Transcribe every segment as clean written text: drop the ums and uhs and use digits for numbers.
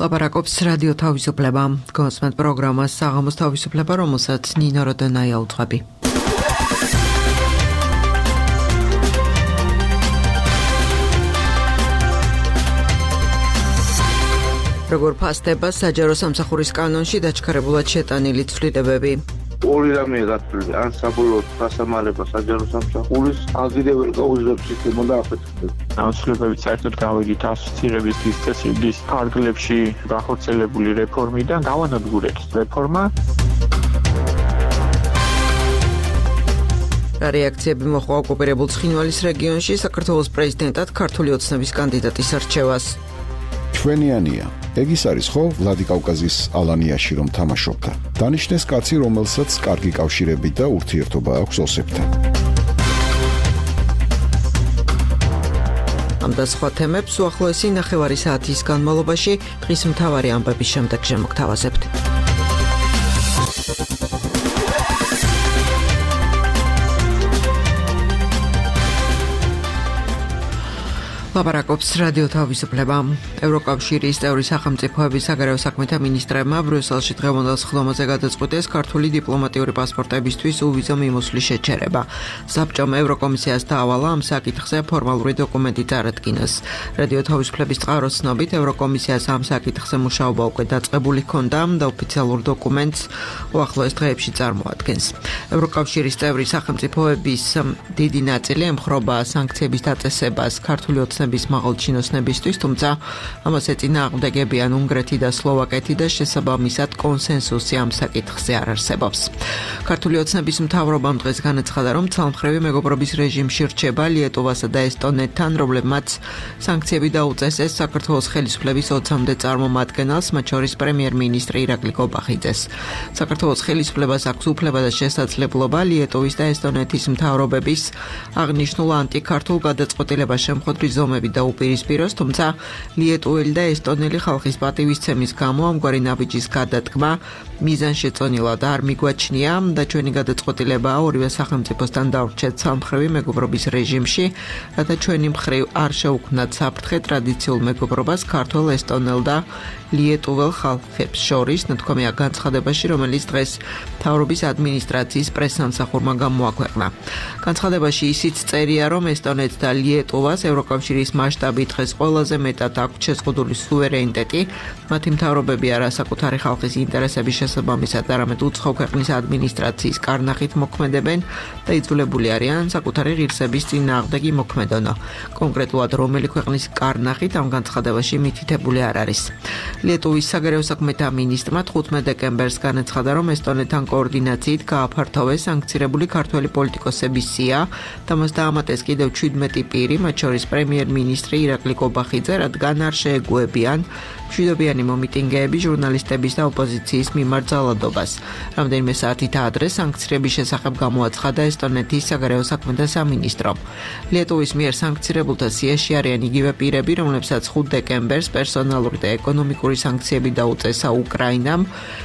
ლაპარაკობს რადიო თავისუფლება. გონსმენთ პროგრამას საღამოს თავისუფლება, რომელსაც ნინო როდონაია უძღვები. როგორ ფასდება საჯარო სამსახურის კანონში დაჩქარებულად შეტანილი ცვლილებები? ორი რამეა გათვლილი, ან საბოლოოდ გასამალება საჯარო სამსახურის აღიარებელ კაუზებს სისტემა და აფეთქება. Ცვლილებებით საერთოდ გავიგით ასოცირების წესრიგის ფარგლებში გახორციელებული რეფორმიდან გავანადგურეთ რეფორმა. რეაქციები მოხდა ოკუპირებულ ცხინვალის რეგიონში საქართველოს პრეზიდენტად ქართული ოცნების კანდიდატის არჩევას. ჩვენიანია. ეგ ის არის ხო ვლადიკავკაზის ალანიაში რომ თამაშობდა. დანიშნეს კაცი, რომელსაც კარგი კავშირები და ურთიერთობა აქვს ოსებთან. ამ და სხვა თემებს უახლოესი ნახევარი საათის განმავლობაში დღის მთავარი ამბების შემდეგ შემოგთავაზებთ. ლაპარაკობს რადიო თავისუფლება. ევროკავშირის წევრი სახელმწიფოების საგარეო საქმეთა მინისტრებმა ბრიუსელში დღევანდელ სხდომაზე გადაწყვიტეს ქართული დიპლომატიური პასპორტებისთვის უვიზო მიმოსვლის შეჩერება. საბჭომ ევროკომისიას დაავალა ამ საკითხზე ფორმალური დოკუმენტი წარადგინოს. რადიო თავისუფლების წყაროს ცნობით ევროკომისიას ამ საკითხზე მუშაობა უკვე დაწყებული ჰქონდა და ოფიციალურ დოკუმენტს უახლოეს დღეებში წარმოადგენს. ევროკავშირის წევრი სახელმწიფოების დიდი ნაწილი ემხრობა სანქციების დაწესებას ქართული ოცნების მაღალჩინოსნებისთვის, თუმცა ამას ეწინააღმდეგებიან უნგრეთი და სლოვაკეთი და შესაბამისად კონსენსუსი ამ საკითხზე არ არსებობს. ქართული ოცნების მთავრობამ დღეს განაცხადა, რომ ცალმხრივი მეგობრობის რეჟიმში რჩება ლიეტოვასა და ესტონეთთან, რომლებმაც სანქციები დაუწესეს საქართველოს ხელისუფლების 20-მდე წარმომადგენელს, მათ შორის პრემიერ-მინისტრი ირაკლი კობახიძეს. საქართველოს ხელისუფლებას აქვს უფლება და შესაძლებლობა ლიეტოვის და ესტონეთის მთავრობების აღნიშნულ ანტიქართულ გადაწყვეტილებას შემხვედრი ზომები და უპირისპიროს, თუმცა ლიეტუელი და ესტონელი ხალხის პატივისცემის გამო ამგვარი ნაბიჯის გადადგმა მიზანშეწონილად არ მიგვაჩნია და ჩვენი გადაწყვეტილებაა ორივე სახელმწიფოსთან დავრჩეთ ცალმხრივი მეგობრობის რეჟიმში, რათა ჩვენი მხრივ არ შევქმნათ საფრთხე ტრადიციულ მეგობრობას ქართველ, ესტონელ და ლიეტუელ ხალხებს შორის, ნათქვამია განცხადებაში, რომელიც დღეს მთავრობის ადმინისტრაციის პრესსამსახურმა გამოაქვეყნა. განცხადებაში ისიც წერია, რომ ესტონეთს და ლიეტუვას ევროკავშირის მასშტაბით დღეს ყველაზე მეტად აქვს შეზღუდული სუვერენიტეტი, მათი მთავრობები არა საკუთარი ხალხის ინტერესების შესაბამისად, არამედ უცხო ქვეყნის ადმინისტრაციის კარნახით მოქმედებენ და იძულებული არიან საკუთარი ღირსების წინააღმდეგ იმოქმედონ. კონკრეტულად რომელი ქვეყნის კარნახით ამ განცხადებაში მითითებული არ არის. ლიეტუვის საგარეო საქმეთა მინისტრმა 15 დეკემბერს განაცხადა, რომ ესტონეთთან კოორდინაციით გააფართოვეს სანქცირებული ქართველი პოლიტიკოსების სია და მას დაამატეს კიდევ 17 პირი, მათ შორის პრემიერ-მინისტრი ირაკლი კობახიძე, რადგან არ შეეგუებიან მშვიდობიანი მომიტინგეები ჟურნალისტების და ოპოზიციის მიმართ ძალადობას. რამდენიმე საათით ადრე სანქციების შესახებ გამოაცხადა ესტონეთის საგარეო საქმეთა სამინისტრომ. ლიეტუვის მიერ სანქცირებულთა სიაში არიან იგივე პირები, რომლებსაც 5 დეკემბერს პერსონალური და ეკონომიკური სანქციები დაუწესა უკრაინამ,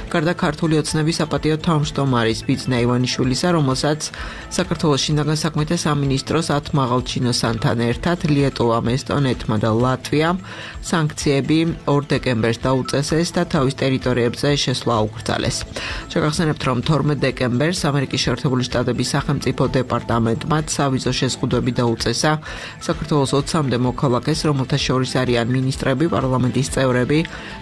გარდა ქართული ოცნების საპატიო თავმჯდომარის ბიძნა ივანიშვილისა, რომელსაც საქართველოს შინაგან საქმეთა სამინისტროს 10 მაღალჩინოსანთან ერთად ლიეტუვამ, ესტონეთმა და ლატვიამ სანქციები 2 დეკემბერს დაუწესეს და თავის ტერიტორიებზე შესვლა აუკრძალეს. შეგახსენებთ, რომ 12 დეკემბერს ამერიკის შეერთებული შტატების სახელმწიფო დეპარტამენტმა სავიზო შეზღუდვები დაუწესა საქართველოს 20-მდე მოქალაქეს, რომელთა შორის არიან მინისტრები, პარლამენტის წევრები,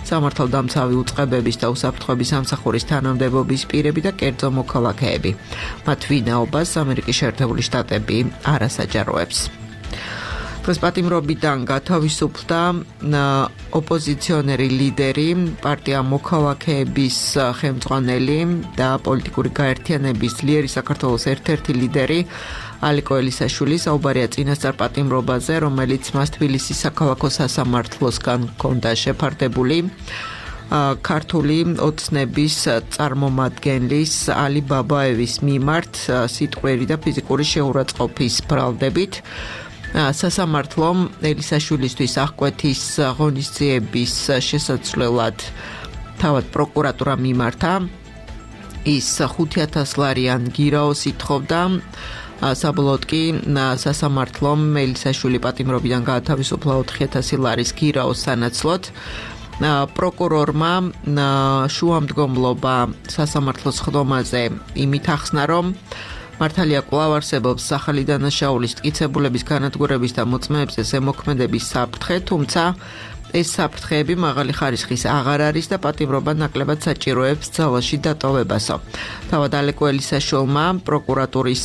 სამართალდამცავი უწყებების და უსაფრთხოების სამსახურის თანამდებობის პირები და კერძო მოქალაქეები. მათ ვინაობას ამერიკის შეერთებული შტატები არ ასაჯაროებს. დღეს პატიმრობიდან გათავისუფლდა ოპოზიციონერი ლიდერი, პარტია მოქალაქეების ხელმძღვანელი და პოლიტიკური გაერთიანების ძლიერი საქართველოს ერთ-ერთი ლიდერი ალიკო ელისაშვილი საუბარია წინასწარ პატიმრობაზე, რომელიც მას თბილისის საქალაქო სასამართლოსგან ჰქონდა შეფარდებული. ქართული ოცნების წარმომადგენლის ალი ბაბაევის მიმართ სიტყვიერი და ფიზიკური შეურაცხყოფის ბრალდებით სასამართლომ ელისაშვილისთვის აღკვეთის ღონისძიების შესაძლებლად თავად პროკურატურა მიმართა. ის 5,000 ლარიან გირაოს ითხოვდა. საბოლოოდ კი სასამართლომ ელისაშვილი პატიმრობიდან გაათავისუფლა 4,000 ლარის გირაოს სანაცვლოდ. პროკურორმა შუამდგომლობა სასამართლოს ხდომაზე იმით ახსნა, რომ მართალია კვლავ არსებობს სახალი დანაშაულის მტკიცებულების განადგურების და მოწმეებზე ზემოქმედების საფრთხე, თუმცა ეს საფრთხეები მაღალი ხარისხის აღარ არის და პატიმრობა ნაკლებად საჭიროებს ძალაში დატოვებასო. თავად ალეკო ელისაშვილმა პროკურატურის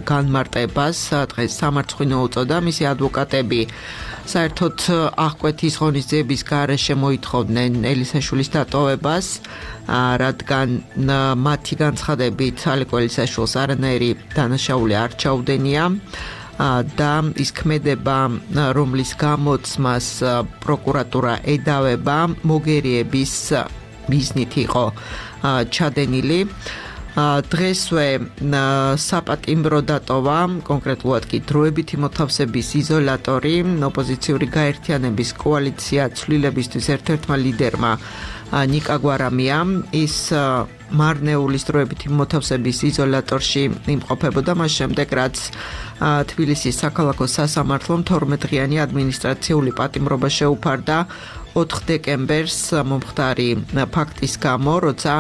განმარტებას დღეს სამარცხვინო უწოდა, მისი ადვოკატები საერთოდ აღკვეთის ღონისძიების გარეშე მოითხოვდნენ ელისაშვილის დატოვებას, რადგან მათი განცხადებით ალეკო ელისაშვილს არანაირი დანაშაული არ ჩაუდენია და ის ქმედება, რომლის გამოცმას პროკურატურა ედავება, მოგერიების მიზნით იყო ჩადენილი. დღესვე საპატიმრო დატოვა, კონკრეტულად კი დროებითი მოთავსების იზოლატორი, ოპოზიციური გაერთიანების კოალიცია ცვლილებისთვის ერთ-ერთმა ლიდერმა ნიკა გვარამიამ. ის მარნეულის დროებითი მოთავსების იზოლატორში იმყოფებოდა მას შემდეგ, რაც თბილისის საქალაქო სასამართლომ 12-დღიანი ადმინისტრაციული პატიმრობა შეუფარდა 4 დეკემბერს მომხდარი ფაქტის გამო, როცა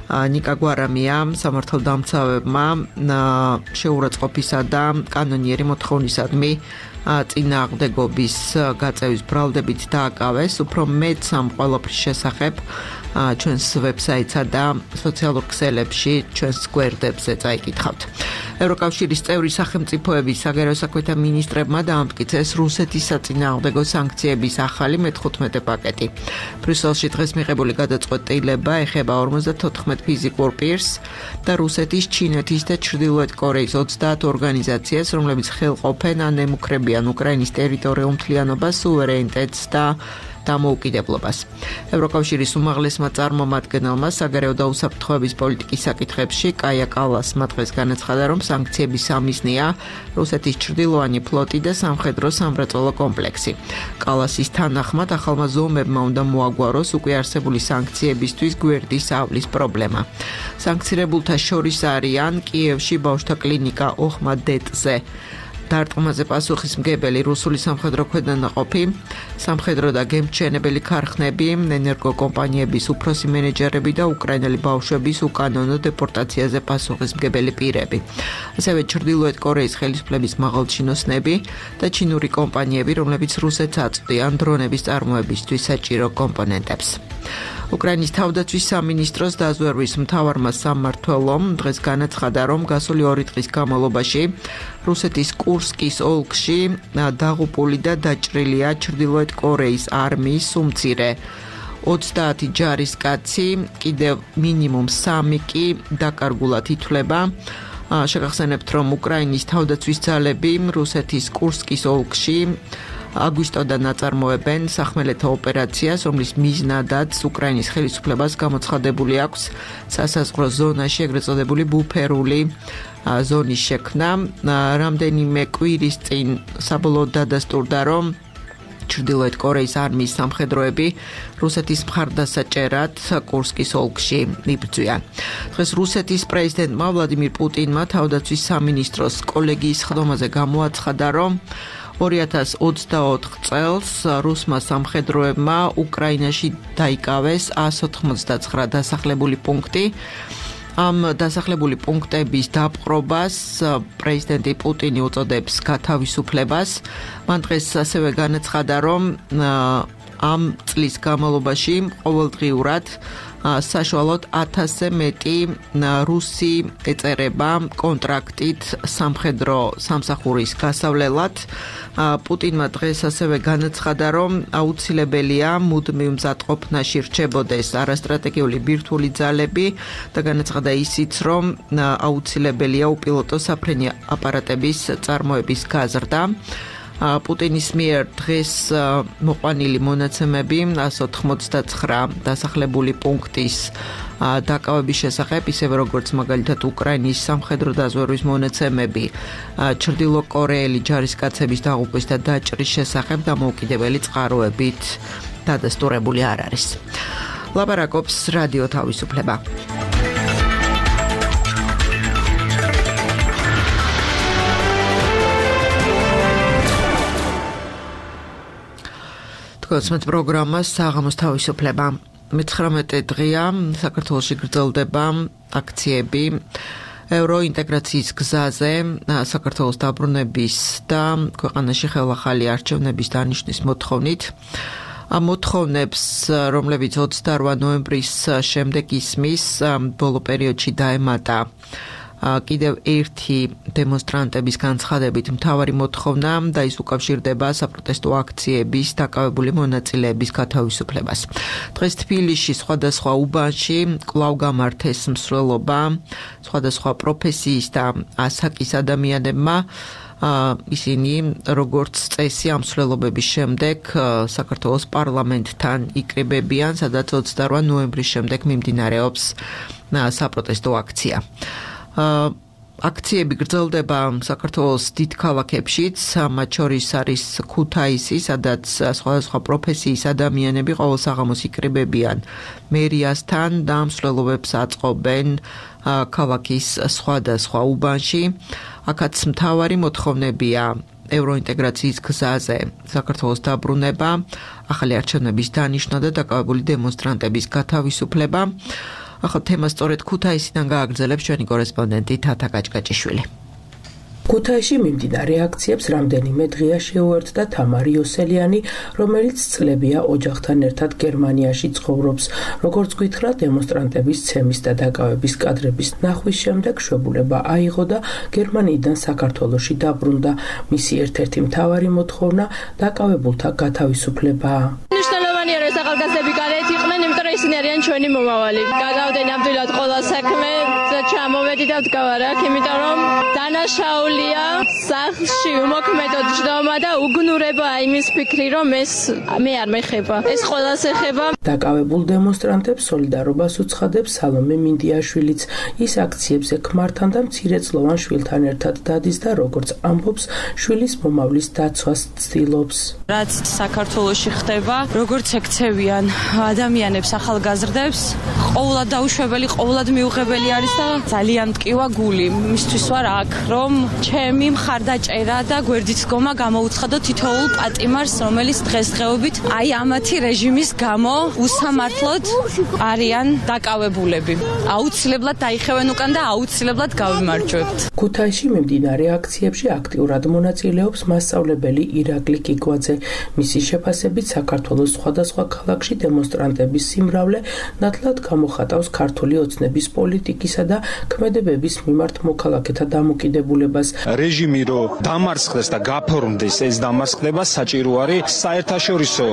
ნიკა გვარამიამ სამართალდამცავებმა შეურაცხყოფისა და კანონიერი მოთხოვნისადმი წინააღმდეგობის გაწევის ბრალდებით დააკავეს. უფრო მეტ ამ ყველაფრის შესახებ ჩვენს ვებსაიტსა და სოციალურ ქსელებში ჩვენს გვერდებზე წაიკითხავთ. ევროკავშირის წევრი სახელმწიფოების საგარეო საქმეთა მინისტრებმა დაამტკიცეს რუსეთის საწინააღმდეგო სანქციების ახალი მე-15 პაკეტი. ბრიუსელში დღეს მიღებული გადაწყვეტილება ეხება 54 ფიზიკურ პირს და რუსეთის, ჩინეთის და ჩრდილოეთ კორეის 30 ორგანიზაციას, რომლებიც ხელყოფენ ან ემუქრებიან უკრაინის ტერიტორიულ მთლიანობას, სუვერენიტეტს და დამოუკიდებლობას. ევროკავშირის უმაღლესმა წარმომადგენელმა საგარეო და უსაფრთხოების პოლიტიკის საკითხებში კაია კალასმა დღეს განაცხადა, რომ სანქციების სამიზნეა რუსეთის ჩრდილოანი ფლოტი და სამხედრო სამრეწველო კომპლექსი. კალასის თანახმად ახალმა ზომებმა უნდა მოაგვაროს უკვე არსებული სანქციებისთვის გვერდის ავლის პრობლემა. სანქცირებულთა შორის არიან კიევში ბავშვთა კლინიკა ოხმადეტზე დარტყმაზე პასუხისმგებელი რუსული სამხედრო ქვედანაყოფი, სამხედრო და გემთჩენებელი ქარხნები, ენერგოკომპანიების უფროსი მენეჯერები და უკრაინელი ბავშვების უკანონო დეპორტაციაზე პასუხისმგებელი პირები. ასევე ჩრდილოეთ კორეის ხელისუფლების მაღალჩინოსნები და ჩინური კომპანიები, რომლებიც რუსეთს აწვდიან დრონების წარმოებისთვის საჭირო კომპონენტებს. უკრაინის თავდაცვის სამინისტროს დაზვერვის მთავარმა სამმართველომ დღეს განაცხადა, რომ გასული 2 დღის განმავლობაში რუსეთის კურსკის ოლქში დაღუპული და დაჭრილია ჩრდილოეთ კორეის არმიის უმცირე 30 ჯარისკაცი, კიდევ მინიმუმ 3 კი დაკარგულად ითვლება. შეგახსენებთ, რომ უკრაინის თავდაცვის ძალები რუსეთის კურსკის ოლქში აგვისტოდან აწარმოებენ სახმელეთო ოპერაციას, რომლის მიზნადაც უკრაინის ხელისუფლებას გამოცხადებული აქვს სასაზღვრო ზონაში ეგრეთ წოდებული ბუფერული ზონის შექმნა. რამდენიმე კვირის წინ საბოლოოდ დადასტურდა, რომ ჩრდილოეთ კორეის არმიის სამხედროები რუსეთის მხარდასაჭერად კურსკის ოლქში იბრძვიან. დღეს რუსეთის პრეზიდენტმა ვლადიმირ პუტინმა თავდაცვის სამინისტროს კოლეგიის ხდომაზე გამოაცხადა, რომ 2024 წელს რუსმა სამხედროებმა უკრაინაში დაიკავეს 199 დასახლებული პუნქტი. ამ დასახლებული პუნქტების დაპყრობას პრეზიდენტი პუტინი უწოდებს გათავისუფლებას. მან დღეს ასევე განაცხადა, რომ ამ წლის განმავლობაში ყოველდღიურად საშუალოდ 1000-ზე მეტი რუსი ეწერება კონტრაქტით სამხედრო სამსახურის გასავლელად. პუტინმა დღეს ასევე განაცხადა, რომ აუცილებელია მუდმივ მზადყოფნაში რჩებოდეს არასტრატეგიული ბირთვული ძალები და განაცხადა ისიც, რომ აუცილებელია უპილოტო საფრენი აპარატების წარმოების გაზრდა. პუტინის მიერ დღეს მოყვანილი მონაცემები 189 დასახლებული პუნქტის დაკავების შესახებ, ისევე როგორც მაგალითად უკრაინის სამხედრო დაზვერვის მონაცემები ჩრდილოკორეელი ჯარისკაცების დაღუპვის და დაჭრის შესახებ დამოუკიდებელი წყაროებით დადასტურებული არ არის. ლაპარაკობს რადიო თავისუფლება. მოგესმენთ პროგრამას საღამოს თავისუფლება. 19 დღეა საქართველოში გრძელდება აქციები ევროინტეგრაციის გზაზე, საქართველოს დაბრუნების და ქვეყანაში ხელახალი არჩევნების დანიშნვის მოთხოვნით. ამ მოთხოვნებს, რომლებიც 28 ნოემბრის შემდეგ ისმის, ბოლო პერიოდში დაემატა კიდევ ერთი დემონსტრანტების განცხადებით მთავარი მოთხოვნა და ის უკავშირდება საპროტესტო აქციების დაკავებული მონაწილეების გათავისუფლებას. დღეს თბილისში სხვადასხვა უბანში კვლავ გამართეს მსვლელობა სხვადასხვა პროფესიის და ასაკის ადამიანებმა. ისინი როგორც წესი ამ მსვლელობების შემდეგ საქართველოს პარლამენტთან იკრიბებიან, სადაც 28 ნოემბრის შემდეგ მიმდინარეობს საპროტესტო აქცია. აქციები გრძელდება საქართველოს დიდ ქალაქებშიც, მათ შორის არის ქუთაისი, სადაც სხვადასხვა პროფესიის ადამიანები ყოველ საღამოს იკრიბებიან მერიასთან და მსვლელობებს აწყობენ ქალაქის სხვადასხვა უბანში. აქაც მთავარი მოთხოვნებია ევროინტეგრაციის გზაზე საქართველოს დაბრუნება, ახალი არჩევნების დანიშნვა და დაკავებული დემონსტრანტების გათავისუფლება. ახლა თემას სწორედ ქუთაისიდან გააგრძელებს ჩვენი კორესპონდენტი თათა გაჭგაჭიშვილი. ქუთაისში მიმდინარე აქციებს რამდენიმე დღეა შეუერთდა თამარი იოსელიანი, რომელიც წლებია ოჯახთან ერთად გერმანიაში ცხოვრობს. როგორც გითხრა, დემონსტრანტების ცემის და დაკავების კადრების ნახვის შემდეგ შვებულება აიღო და გერმანიიდან საქართველოში დაბრუნდა. მისი ერთ-ერთი მთავარი მოთხოვნა დაკავებულთა გათავისუფლებაა. ეს ახალგაზრდები გარეთ იყვნენ, იმიტომ რომ ისინი არიან ჩვენი მომავალი. გადავდე ნამდვილად ყველა საქმე და ჩამოვედი და ვდგავარ აქ, იმიტომ რომ დანაშაულია სახლში უმოქმედო ჯდომა და უგნურება იმის ფიქრი, რომ მე არ მეხება. ეს ყველას ეხება. დაკავებულ დემონსტრანტებს სოლიდარობას უცხადებს სალომე მინდიაშვილიც. ის აქციებზე ქმართან და მცირეწლოვან შვილთან ერთად დადის და როგორც ამბობს, შვილის მომავლის დაცვას ცდილობს. რაც საქართველოში ხდება, როგორც ეკცევიან ადამიანებს, ახალგაზრდებს, ყოველად დაუშვებელი, ყოველად მიუღებელი არის და ძალიან მტკივა გული. მისთვის ვარ აქ, რომ ჩემი მხარდაჭერა და გვერდით დგომა გამოუცხადო თითოეულ პატიმარს, რომელიც დღესდღეობით აი ამათი რეჟიმის გამო უსამართლოდ არიან დაკავებულები. აუცილებლად დაიხევენ უკან და აუცილებლად გავიმარჯვებთ. ქუთაისში მიმდინარე აქციებში აქტიურად მონაწილეობს მასწავლებელი ირაკლი კიკვაძე. მისი შეფასებით საქართველოს სხვადასხვა ქალაქში დემონსტრანტების სიმრავლე ნათლად გამოხატავს ქართული ოცნების პოლიტიკისა და ქმედებების მიმართ მოქალაქეთა დამოკიდებულებას. რეჟიმი რო დამარცხდეს და გაფორმდეს, ეს დამარცხება საჭირო არის საერთაშორისო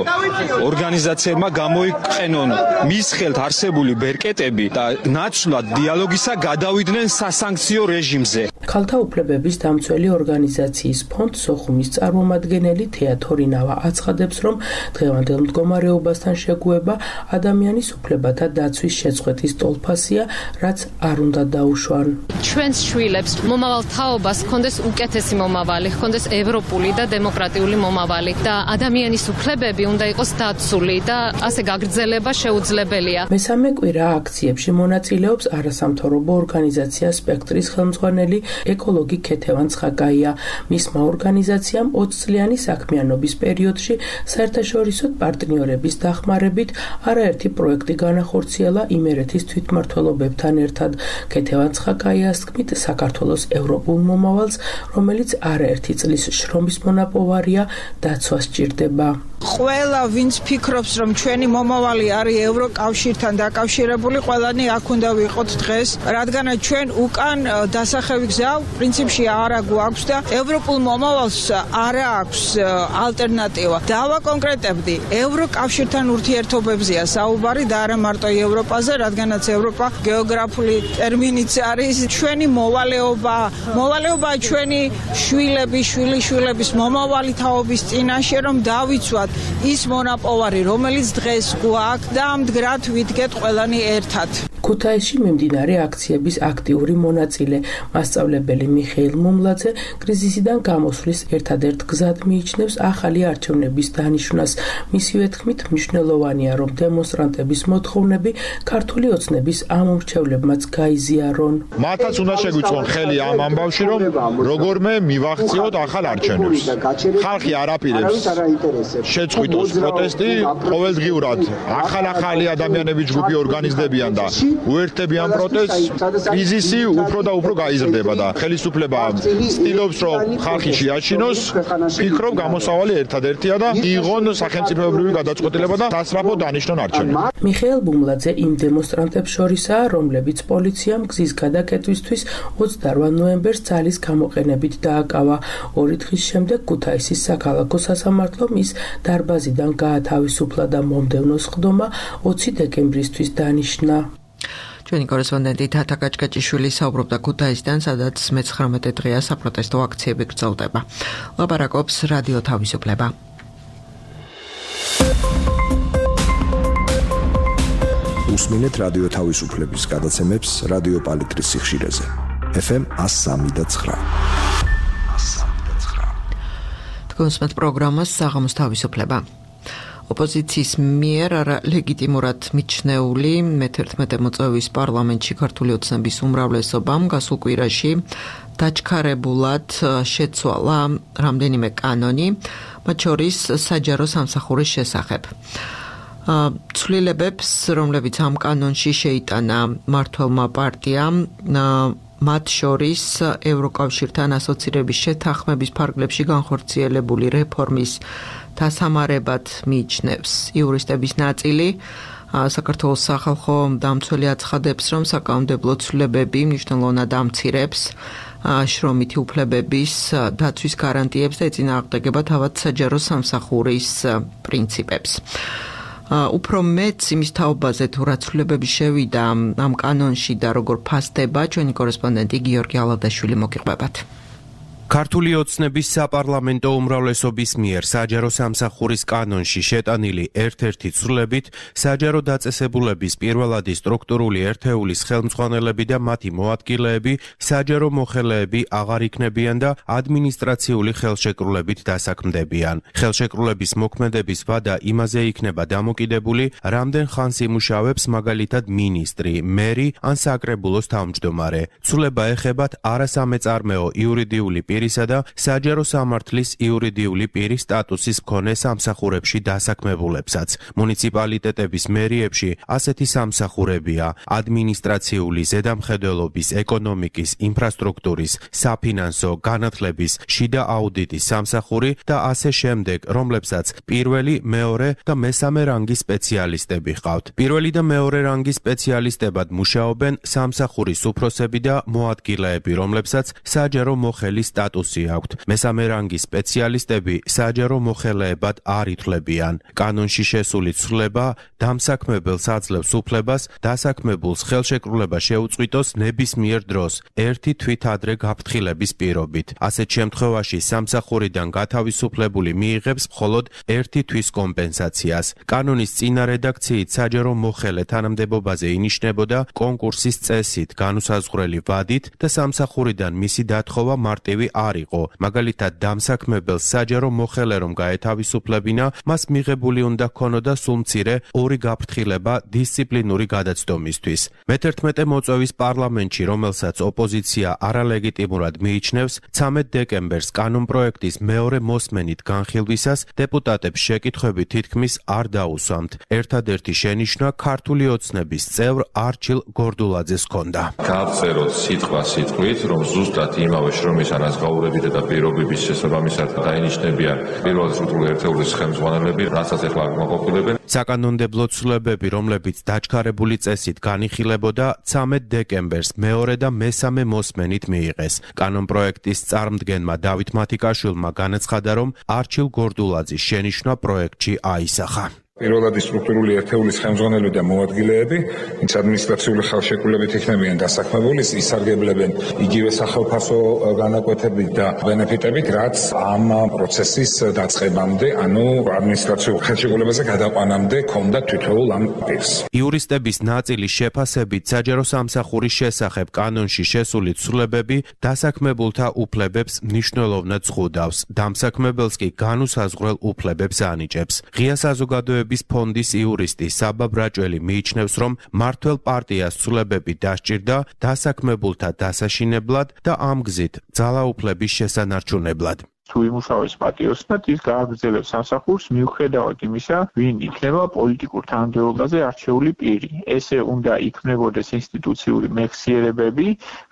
ორგანიზაციებმა გამოიყენონ მის ხელთ არსებული ბერკეტები და ნაცვლად დიალოგისა გადავიდნენ სასანქციო რეჟიმზე. ქალთა უფლებების დამცველი ორგანიზაციის ფონდ სოხუმის წარმომადგენელი თეატორინავა აცხადებს, რომ დღევანდელ მდგომარეობასთან შეგუება ადამიანის უფლებათა დაცვის შეწყვეტის ტოლფასია, რაც არ უნდა დაუშვან. ჩვენს შვილებს მომავალ თაობას ჰქონდეს უკეთესი მომავალი, ჰქონდეს ევროპული და დემოკრატიული მომავალი და ადამიანის უფლებები უნდა იყოს დაცული და ასე გაგრძელება შეუძლებელია. მესამე კვირა აქციებში მონაწილეობს არასამთავრობო ორგანიზაცია სპექტრის ხელმძღვანელი ეკოლოგი ქეთევან ცხაკაია. მისმა ორგანიზაციამ 20 წლიანი საქმიანობის პერიოდში საერთაშორისო პარტნიორების დახმარებით არაერთი პროექტი განახორციელა იმერეთის თვითმმართველობებთან ერთად. ქეთევან ცხაკაიას თქმით, საქართველოს ევროპულ მომავალს, რომელიც არაერთი წლის შრომის მონაპოვარია, დაცვა სჭირდება. ყველა ვინც ფიქრობს, რომ ჩვენი მომავალი არის ევროკავშირთან დაკავშირებული, ყველანი აქ უნდა ვიყოთ დღეს, რადგანაც ჩვენ უკან დასახევი გზა პრინციპში არა გვაქვს და ევროპულ მომავალს არა აქვს ალტერნატივა. დავაკონკრეტებდი, ევროკავშირთან ურთიერთობებზეა საუბარი და არა მარტო ევროპაზე, რადგანაც ევროპა გეოგრაფიული ტერმინიც არის ჩვენი მოვალეობა. მოვალეობა ჩვენი შვილების, შვილიშვილების მომავალი თაობის წინაშე, რომ დავიცვათ ის მონაპოვარი, რომელიც დღეს გვაქვს და მდგრად ვიდგეთ ყველანი ერთად. ქუთაისში მიმდინარე აქციების აქტიური მონაწილე მასწავლებელი მიხეილ მუმლაძე კრიზისიდან გამოსვლის ერთადერთ გზად მიიჩნევს ახალი არჩევნების დანიშვნას. მისივე თქმით, მნიშვნელოვანია, რომ დემონსტრანტების მოთხოვნები ქართული ოცნების ამომრჩევლებმაც გაიზიარონ. მათაც უნდა შეგვიწყონ ხელი ამ ამბავში, რომ როგორმე მივახციოთ ახალ არჩევნებს. ხალხი არაპირებს შეწყვიტოს პროტესტი, ყოველდღიურად ახალი ადამიანების ჯგუფი ორგანიზდებიან და უერთდებიან პროტესტს. კრიზისი უფრო და უფრო გაიზრდება და ხელისუფლება ცდილობს, რომ ხალხი შეაჩინოს. ფიქრობ, გამოსავალი ერთადერთია და იღონ სახელმწიფოებრივი გადაწყვეტილება და სასწრაფო დანიშნონ არჩევნები. მიხეილ ბუმლაძე იმ დემონსტრანტებს შორისაა, რომლებიც პოლიციამ გზის გადაკეტვისთვის 28 ნოემბერს ძალის გამოყენებით დააკავა. 2 დღის შემდეგ ქუთაისის საქალაქო სასამართლომ ის დარბაზიდან გაათავისუფლა და მომდევნო სხდომა 20 დეკემბრისთვის დანიშნა. ჩვენი კორესპონდენტი თათა კაჭკაჭიშვილი საუბრობდა ქუთაისიდან, სადაც 19 დღეა საპროტესტო აქციები გრძელდება. ლაპარაკობს რადიო თავისუფლება. უსმინეთ რადიო თავისუფლების გადაცემებს რადიო პალიტრის სიხშირეზე. FM 103.9. თქვენს პროგრამას საღამოს თავისუფლება. ოპოზიციის მიერ ლეგიტიმურად მიჩნეული მე-11 მოწვევის პარლამენტში ქართული ოცნების უმრავლესობამ გასულ კვირაში დაჩქარებულად შეცვალა რამდენიმე კანონი, მათ შორის საჯარო სამსახურის შესახებ. ცვლილებებს, რომლებიც ამ კანონში შეიტანა მმართველმა პარტიამ, მათ შორის ევროკავშირთან ასოცირების შეთანხმების ფარგლებში განხორციელებული რეფორმის დასამარებად მიიჩნევს. იურისტების ნაწილი საქართველოს სახალხო დამცველი აცხადებს, რომ საკანონმდებლო ცვლილებები მნიშვნელოვნად ამცირებს შრომითი უფლებების დაცვის გარანტიებს და ეწინააღმდეგება თავად საჯარო სამსახურის პრინციპებს. უფრო მეც იმის თაობაზე თუ რა ცვლილებები შევიდა ამ კანონში და როგორ ფასდება, ჩვენი კორესპონდენტი გიორგი ალადაშვილი მოგიყვებათ. ქართული ოცნების საპარლამენტო უმრავლესობის მიერ საჯარო სამსახურის კანონში შეტანილი ერთ-ერთი ცვლილებით საჯარო დაწესებულების პირველადი სტრუქტურული ერთეულის ხელმძღვანელები და მათი მოადგილეები საჯარო მოხელეები აღარ იქნებიან და ადმინისტრაციული ხელშეკრულებით დასაქმდებიან. ხელშეკრულების მოქმედების ვადა იმაზე იქნება დამოკიდებული, რამდენ ხანს იმუშავებს მაგალითად მინისტრი, მერი ან საკრებულოს თავმჯდომარე. ცვლილება ეხებათ არასამეწარმეო იურიდიული პირისა და საჯარო სამართლის იურიდიული პირის სტატუსის მქონე სამსახურებში დასაქმებულებსაც. მუნიციპალიტეტების მერიებში ასეთი სამსახურებია: ადმინისტრაციული, ზედამხედველობის, ეკონომიკის, ინფრასტრუქტურის, საფინანსო, განათლების, შიდა აუდიტის სამსახური და ასე შემდეგ, რომლებსაც პირველი, მეორე და მესამე რანგის სპეციალისტები ჰყავთ. პირველი და მეორე რანგის სპეციალისტებად მუშაობენ სამსახურის უფროსები და მოადგილეები, რომლებსაც საჯარო მოხელის სტატუსი აქვთ. მესამე რანგის სპეციალისტები საჯარო მოხელეებად არ ითვლებიან. კანონში შესული ცვლილება დამსაქმებელს აძლევს უფლებას დასაქმებულს ხელშეკრულება შეუწყვიტოს ნებისმიერ დროს ერთი თვით ადრე გაფრთხილების პირობით. ასეთ შემთხვევაში სამსახურიდან გათავისუფლებული მიიღებს მხოლოდ ერთი თვის კომპენსაციას. კანონის წინა რედაქციით საჯარო მოხელე თანამდებობაზე ინიშნებოდა კონკურსის წესით, განუსაზღვრელი ვადით და სამსახურიდან მისი დათხოვა მარტივი არ იყო. მაგალითად, დამსაქმებელს საჯარო მოხელე რომ გაეთავისუფლებინა, მას მიღებული უნდა ქონოდა სულ მცირე 2 გაფრთხილება დისციპლინური გადაცდომისთვის. მე-11 მოწვევის პარლამენტში, რომელსაც ოპოზიცია არალეგიტიმურად მიიჩნევს, 13 დეკემბერს კანონპროექტის მეორე მოსმენით განხილვისას დეპუტატებს შეკითხვები თითქმის არ დაუსვამთ. ერთადერთი შენიშვნა ქართული ოცნების წევრ არჩილ გორდულაძეს ჰქონდა. გავწეროთ სიტყვით, რომ ზუსტად იმავე შრომის ანაზღაურებით და პირობების შესაბამისად დაინიშნებიან პირველი სტრუქტურული ერთეულის ხელმძღვანელები, რასაც ახლა მოყოფილებენ. საკანონმდებლო ცვლილებები, რომლებიც დაჩქარებული წესით განიხილებოდა, 13 დეკემბერს მეორე და მესამე მოსმენით მიიღეს. კანონპროექტის წარმდგენმა დავით მათიკაშვილმა განაცხადა, რომ არჩილ გორდულაძის შენიშვნა პროექტში აისახა. პირველადი სტრუქტურული ერთეულის ხელმძღვანელები და მოადგილეები, ვინც ადმინისტრაციული ხელშეკრულებით იქნებიან დასაქმებული, ისარგებლებენ იგივე სახელფასო განაკვეთებით და ბენეფიტებით, რაც ამ პროცესის დაწყებამდე, ანუ ადმინისტრაციულ ხელშეკრულებაზე გადაყვანამდე ჰქონდა თითოეულ ამ პირს. იურისტების ნაწილის შეფასებით საჯარო სამსახურის შესახებ კანონში შესული ცვლილებები დასაქმებულთა უფლებებს მნიშვნელოვნად ზღუდავს. დამსაქმებელს კი განუსაზღვრელ უფლებებს ანიჭებს. ღია საზოგადოების ფონდის იურისტი საბა ბრაჭველი მიიჩნევს, რომ მმართველ პარტიას ცვლილებები დასჭირდა დასაქმებულთა დასაშინებლად და ამ გზით ძალაუფლების შესანარჩუნებლად. თუ იმუშავებს პატიოსნად, ის გააგრძელებს სამსახურს მიუხედავად იმისა, ვინ იქნება პოლიტიკურ თანამდებობაზე არჩეული პირი. ესე უნდა იქმნებოდეს ინსტიტუციური მეხსიერებები,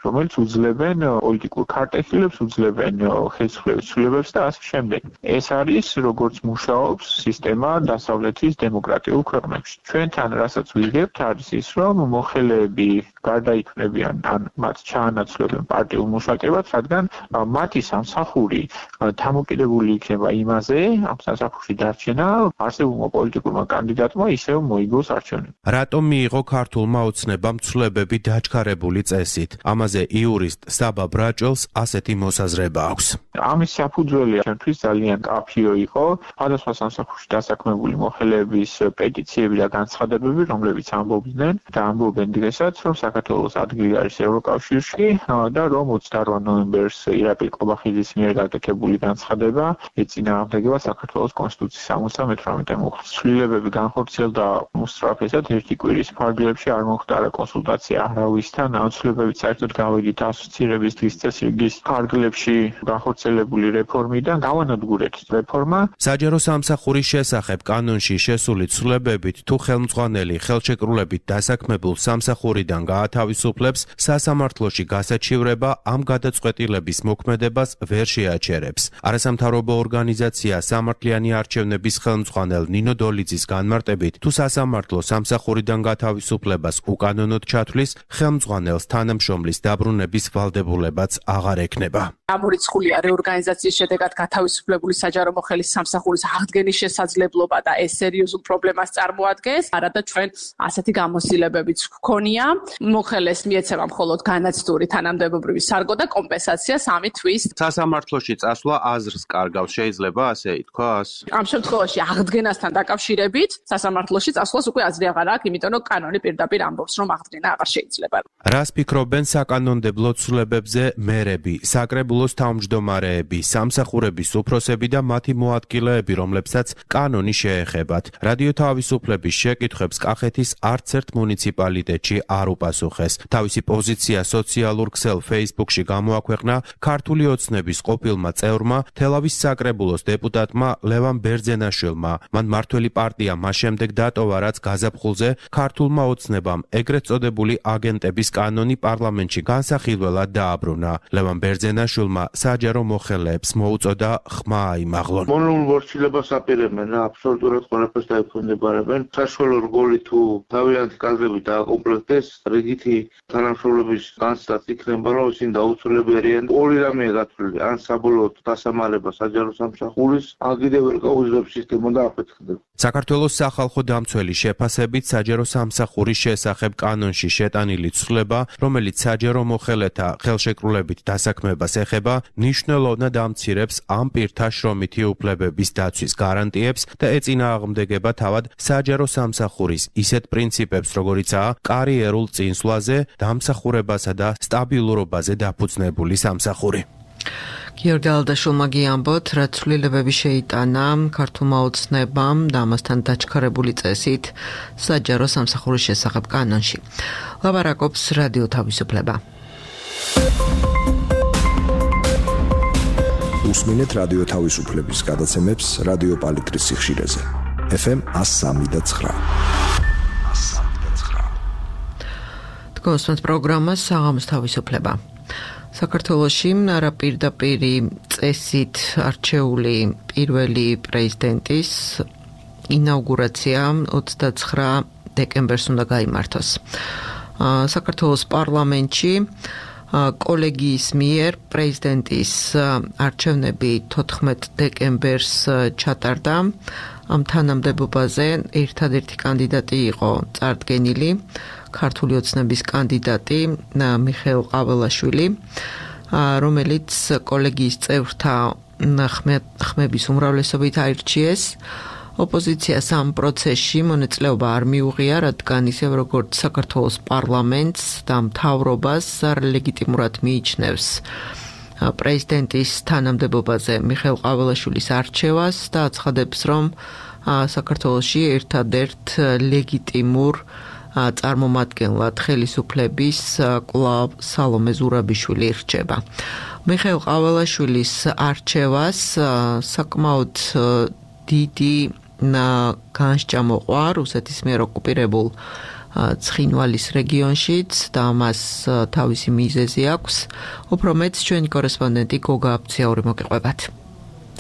რომელიც უძლებენ პოლიტიკურ ქარტეხილებს, უძლებენ ხელისუფლების ცვლილებებს და ასე შემდეგ. ეს არის, როგორც მუშაობს სისტემა დასავლეთის დემოკრატიულ ქვეყნებში. ჩვენთან, რასაც ვიღებთ, არის ის, რომ მოხელეები გარდაიქმნებიან ან მათ ჩაანაცვლებენ პარტიულ მუშაკებად, რადგან მათი სამსახური დამოკიდებული იქნება იმაზე, ამ სასახურში დარჩენა არსებულმა პოლიტიკურმა კანდიდატმა ისევ მოიგოს არჩევნები. რატომ მიიღო ქართულმა ოცნებამ ცვლილებები დაჩქარებული წესით? ამაზე იურისტ საბა ბრაჭველს ასეთი მოსაზრება აქვს. ამის საფუძველი ჩვენთვის ძალიან კაფიო იყო, სხვადასხვა სამსახურში დასაქმებული მოხელეების პეტიციები და განცხადებები, რომლებიც ამბობდნენ და ამბობენ დღესაც, რომ საქართველოს ადგილი არის ევროკავშირში და რომ 28 ნოემბერს ირაკლი ყობახიძის მიერ გაკეთებული განცხადება ეწინააღმდეგება საქართველოს კონსტიტუციის 78 მუხლს. ცვლილებები განხორციელდა უსწრაფესად ერთი კვირის ფარგლებში არ მოხდა კონსულტაცია არავისთან, ცვლილებებით საერთოდ გავედით ასოცირების დღის წესრიგის ფარგლებში განხორციელებული რეფორმიდან გავანადგურეთ რეფორმა. საჯარო სამსახურის შესახებ კანონში შესული ცვლილებებით თუ ხელმძღვანელი ხელშეკრულებით დასაქმებულ სამსახურიდან გაათავისუფლებს, სასამართლოში გასაჩივრება ამ გადაწყვეტილების მოქმედებას ვერ შეაჩერებს. არასამთავრობო ორგანიზაცია სამართლიანი არჩევნების ხელმძღვანელ ნინო დოლიძის განმარტებით, თუ სასამართლო სამსახურიდან გათავისუფლებას უკანონოდ ჩათვლის, ხელმძღვანელს თანამშრომლის დაბრუნების ვალდებულებაც აღარ ექნება. ამორიცხულია რეორგანიზაციის შედეგად გათავისუფლებული საჯარო მოხელის სამსახურის აღდგენის შესაძლებლობა და ეს სერიოზულ პრობლემას წარმოადგენს. არადა ჩვენ ასეთი გამოცდილებებიც გვქონია. მოხელეს მიეცემა მხოლოდ განაცდური თანამდებობრივი სარგო და კომპენსაცია 3 თვის. სასამართლოში წასვლა აზრს კარგავს, შეიძლება ასე ითქვას? ამ შემთხვევაში აღდგენასთან დაკავშირებით სასამართლოში წასვლას უკვე აზრი აღარ აქვს, იმიტომ რომ კანონი პირდაპირ ამბობს, რომ აღდგენა აღარ შეიძლება. რას ფიქრობენ საკანონმდებლო ცვლილებებზე მერები, საკრებულოს თავმჯდომარეები, სამსახურების უფროსები და მათი მოადგილეები, რომლებსაც კანონი შეეხებათ? რადიო თავისუფლების შეკითხვებს კახეთის არც ერთ მუნიციპალიტეტში არ უპასუხეს. თავისი პოზიცია სოციალურ ქსელ Facebook-ში გამოაქვეყნა ქართული ოცნების ყოფილმა წევრმა, თელავის საკრებულოს დეპუტატმა ლევან ბერძენაშვილმა. მან მართველი პარტია მას შემდეგ დატოვა, რაც გაზაფხულზე ქართულმა ოცნებამ ეგრეთ წოდებული აგენტების კანონი პარლამენტში განსახილველად დააბრუნა. ლევან ბერძენაშვილმა საჯარო მოხელეებს მოუწოდა ხმა აიმაღლონ. მონოლ მორჩილებას აპირებენ რა, აბსოლუტურად ყველაფერს დაექვემდებარებენ. საშუალო რგოლი თუ თავიანთი კადრები დააკომპლექტდეს, რიგითი თანამშრომლების განცდაც იქნება, რომ ისინი დაუცვლელები არიან. ორი რამეა გათვლილი, ან საბოლოოდ დასამალება საჯარო სამსახურის, ან კიდევ ვერ გაუძლებს სისტემა და აფეთქდება. საქართველოს სახალხო დამცველი შეფასებით საჯარო სამსახურის შესახებ კანონში შეტანილი ცვლილება, რომელიც საჯარო მოხელეთა ხელშეკრულებით დასაქმებას ეხება, მნიშვნელოვნად ამცირებს ამ პირთა შრომითი უფლებების დაცვის გარანტიებს და ეწინააღმდეგება თავად საჯარო სამსახურის ისეთ პრინციპებს, როგორიცაა კარიერულ წინსვლაზე, დამსახურებასა და სტაბილურობაზე დაფუძნებული სამსახური. გიორგი ალდაშვილმა გიამბოთ, რა ცვლილებები შეიტანა ქართულმა ოცნებამ და ამასთან დაჩქარებული წესით საჯარო სამსახურის შესახებ კანონში. ლაპარაკობს რადიო თავისუფლება. უსმინეთ რადიო თავისუფლების გადაცემებს რადიო პალიტრის სიხშირეზე. FM 103.9. თქვენს პროგრამას საღამოს თავისუფლება. საქართველოში არაპირდაპირი წესით არჩეული პირველი პრეზიდენტის ინაუგურაცია 29 დეკემბერს უნდა გაიმართოს. საქართველოს პარლამენტში კოლეგიის მიერ პრეზიდენტის არჩევნები 14 დეკემბერს ჩატარდა. ამ თანამდებობაზე ერთადერთი კანდიდატი იყო წარდგენილი ქართული ოცნების კანდიდატი მიხეილ ყაველაშვილი, რომელიც კოლეგიის წევრთა ხმების უმრავლესობით აირჩიეს. ოპოზიციას ამ პროცესში მონაწილეობა არ მიუღია, რადგან ისევ როგორც საქართველოს პარლამენტს და მთავრობას ლეგიტიმურად მიიჩნევს პრეზიდენტის თანამდებობაზე მიხეილ ყაველაშვილის არჩევას და აცხადებს, რომ საქართველოში ერთადერთ ლეგიტიმურ წარმომადგენლად ხელისუფლების კვლავ სალომე ზურაბიშვილი რჩება. მიხეილ ყაველაშვილის არჩევას საკმაოდ დიდი განსჯა მოყვა რუსეთის მიერ ოკუპირებულ ცხინვალის რეგიონშიც და მას თავისი მიზეზი აქვს. უფრო მეც ჩვენი კორესპონდენტი გოგა აფციური მოგიყვებათ.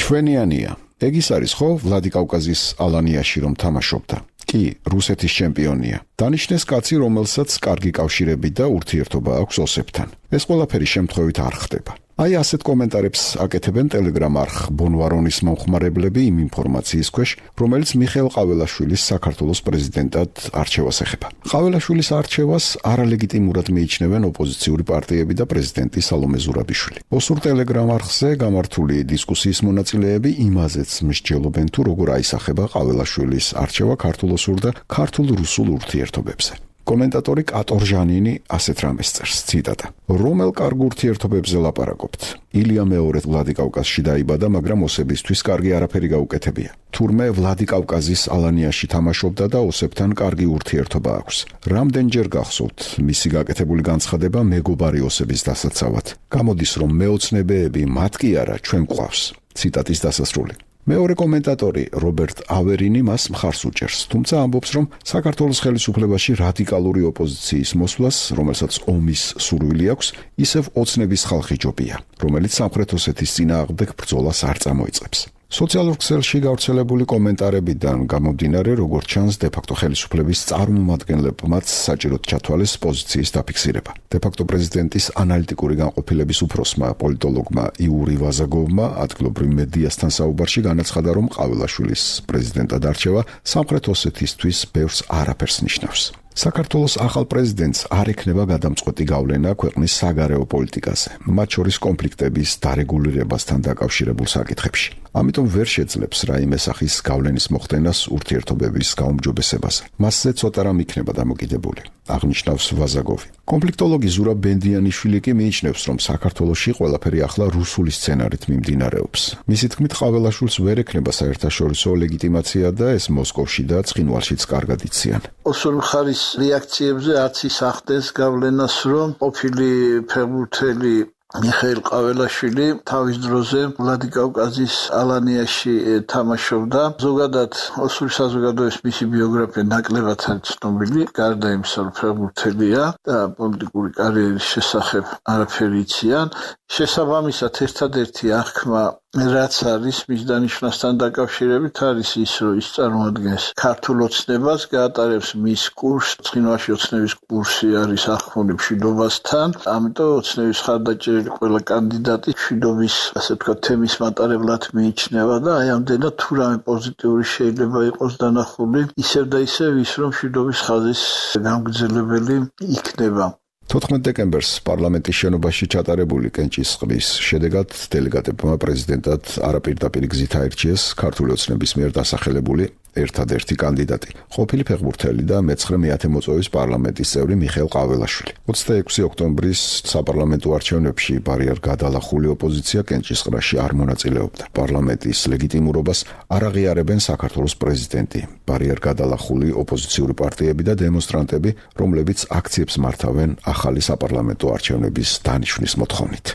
ჩვენიანია. ეგ ის არის ხო ვლადიკავკაზის ალანიაში რომ თამაშობდა? კი, რუსეთის ჩემპიონია. დანიშნეს კაცი, რომელსაც კარგი კავშირები და ურთიერთობა აქვს ოსებთან. ეს ყველაფერი შემთხვევით არ ხდება. აი ასეთ კომენტარებს აკეთებენ ტელეგრამ არხ ბონვარონის მომხმარებლები იმ ინფორმაციის ქვეშ, რომელიც მიხეილ ყაველაშვილის საქართველოს პრეზიდენტად არჩევას ეხება. ყაველაშვილის არჩევას არალეგიტიმურად მიიჩნევენ ოპოზიციური პარტიები და პრეზიდენტი სალომე ზურაბიშვილი. ოსურ ტელეგრამ არხზე გამართული დისკუსიის მონაწილეები იმაზეც მსჯელობენ თუ როგორ აისახება ყაველაშვილის არჩევა ქართულ-ოსურ და ქართულ-რუსულ ურთიერთობებზე. კომენტატორი კატორ ჟანინი ასეთ რამეს წერს, ციტატა: რომელ კარგ ურთიერთობებზე ლაპარაკობთ? ილია მეორე ვლადიკავკაზში დაიბადა, მაგრამ ოსებისთვის კარგი არაფერი გაუკეთებია. თურმე ვლადიკავკაზის ალანიაში თამაშობდა და ოსებთან კარგი ურთიერთობა აქვს. რამდენჯერ გახსოვთ მისი გაკეთებული განცხადება მეგობარი ოსების დასაცავად? გამოდის, რომ მეოცნებეები მათ კი არა, ჩვენ გვყავს. ციტატის დასასრული. მეორე კომენტატორი რობერტ ავერინი მას მხარს უჭერს, თუმცა ამბობს, რომ საქართველოს ხელისუფლებაში რადიკალური ოპოზიციის მოსვლას, რომელსაც ომის სურვილი აქვს, ისევ ოცნების ხალხი ჯობია, რომელიც სამხრეთ ოსეთის წინააღმდეგ ბრძოლას არ წამოიწყებს. სოციალურ ქსელში გავრცელებული კომენტარებიდან გამომდინარე, როგორც ჩანს, დე-ფაქტო ხელისუფლების წარმომადგენლებმაც საჭიროდ ჩათვალეს პოზიციის დაფიქსირება. დე-ფაქტო პრეზიდენტის ანალიტიკური განყოფილების უფროსმა პოლიტოლოგმა იური ვაზაგოვმა ადგილობრივ მედიასთან საუბარში განაცხადა, რომ ყაველაშვილის პრეზიდენტად არჩევა სამხრეთ ოსეთისთვის ბევრს არაფერს ნიშნავს. საქართველოს ახალ პრეზიდენტს არ ექნება გადამწყვეტი გავლენა ქვეყნის საგარეო პოლიტიკაზე, მათ შორის კონფლიქტების დარეგულირებასთან დაკავშირებულ საკითხებში. ამიტომ ვერ შეძლებს რაიმე სახის გავლენის მოხდენას ურთიერთობების გაუმჯობესებაზე. მასზე ცოტა რამ იქნება დამოკიდებული, აღნიშნავს ვაზაგოვი. კონფლიქტოლოგი ზურაბ ბენდიანიშვილი კი მიიჩნევს, რომ საქართველოში ყველაფერი ახლა რუსული სცენარით მიმდინარეობს. მისი თქმით, ყაველაშვილს ვერ ექნება საერთაშორისო ლეგიტიმაცია და ეს მოსკოვში და ცხინვალშიც კარგად იციან. ოსურ მხარის რეაქციებზე არც ის ახდენს გავლენას, რომ ყოფილი ფეხბურთელი მიხეილ ყაველაშვილი თავის დროზე ვლადიკავკაზის ალანიაში თამაშობდა. ზოგადად ოსური საზოგადოების მისი ბიოგრაფია ნაკლებად არის ცნობილი, გარდა იმისა, რომ ფეხბურთელია და პოლიტიკური კარიერის შესახებ არაფერი იციან. შესაბამისად, ერთადერთი აღქმა რაც არის მის დანიშვნასთან დაკავშირებით არის ის, რომ ის წარმოადგენს ქართულ ოცნებას, გაატარებს მის კურსს, ცხინვალში ოცნების კურსი არის აღქმული მშვიდობასთან, ამიტომ ოცნების ხარდაჭერილი ყველა კანდიდატი მშვიდობის, ასე ვთქვათ, თემის მატარებლად მიიჩნევა და აი ამდენად თუ რამე პოზიტიური შეიძლება იყოს დანახული, ისევ და ისევ ის, რომ მშვიდობის ხაზის გამგრძელებელი იქნება. 14 დეკემბერს პარლამენტის შენობაში ჩატარებული კენჭისყრის შედეგად დელეგატებმა პრეზიდენტად არაპირდაპირ გზით აირჩიეს ქართული ოცნების მიერ დასახელებული ერთადერთი კანდიდატი, ყოფილი ფეხბურთელი და მეცხრე მეათე მოწვევის პარლამენტის წევრი მიხეილ ყაველაშვილი. 26 ოქტომბრის საპარლამენტო არჩევნებში ბარიერ გადალახული ოპოზიცია კენჭისყრაში არ მონაწილეობდა. პარლამენტის ლეგიტიმურობას არ აღიარებენ საქართველოს პრეზიდენტი, ბარიერ გადალახული ოპოზიციური პარტიები და დემონსტრანტები, რომლებიც აქციებს მართავენ ახალი საპარლამენტო არჩევნების დანიშვნის მოთხოვნით.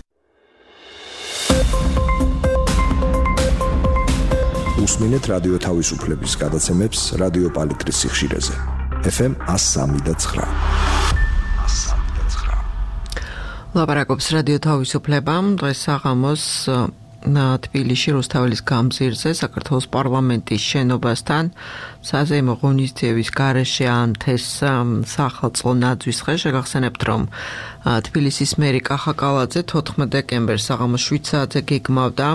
უსმინეთ რადიო თავისუფლების გადაცემებს რადიო პალიტრის სიხშირეზე. FM 103.9. ლაპარაკობს რადიო თავისუფლება. დღეს საღამოს თბილისში რუსთაველის გამზირზე საქართველოს პარლამენტის შენობასთან საზეიმო ღონისძიების გარეშე ანთეს სახელმწიფო ნაძვის დღე. შეგახსენებთ, რომ თბილისის მერი კახა კალაძე 14 დეკემბერს საღამოს 7 საათზე გეგმავდა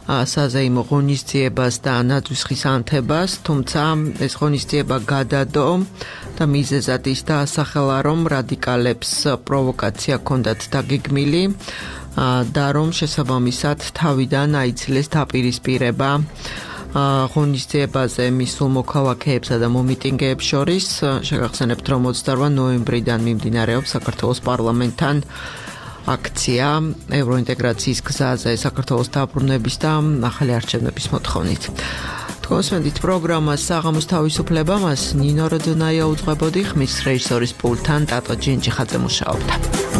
საზეიმო ღონისძიებას და ნაძვის დღის ანთებას, თუმცა ეს ღონისძიება გადადო და მიზეზად ის დაასახელა, რომ რადიკალებს პროვოკაცია ჰქონდათ დაგეგმილი და რომ შესაბამისად თავიდან აიცილეს დაპირისპირება ღონისძიებაზე მისულ მოქალაქეებსა და მომიტინგეებს შორის. შეგახსენებთ, რომ 28 ნოემბრიდან მიმდინარეობს საქართველოს პარლამენტთან აქცია ევროინტეგრაციის გზაზე საქართველოს დაბრუნების და ახალი არჩევნების მოთხოვნით. თქვენს პროგრამას საღამოს თავისუფლება მას ნინო როდონაია უძღვებოდი, ხმის რეჟისორის პულტთან ტატო ჯინჯიხაძე მუშაობდა.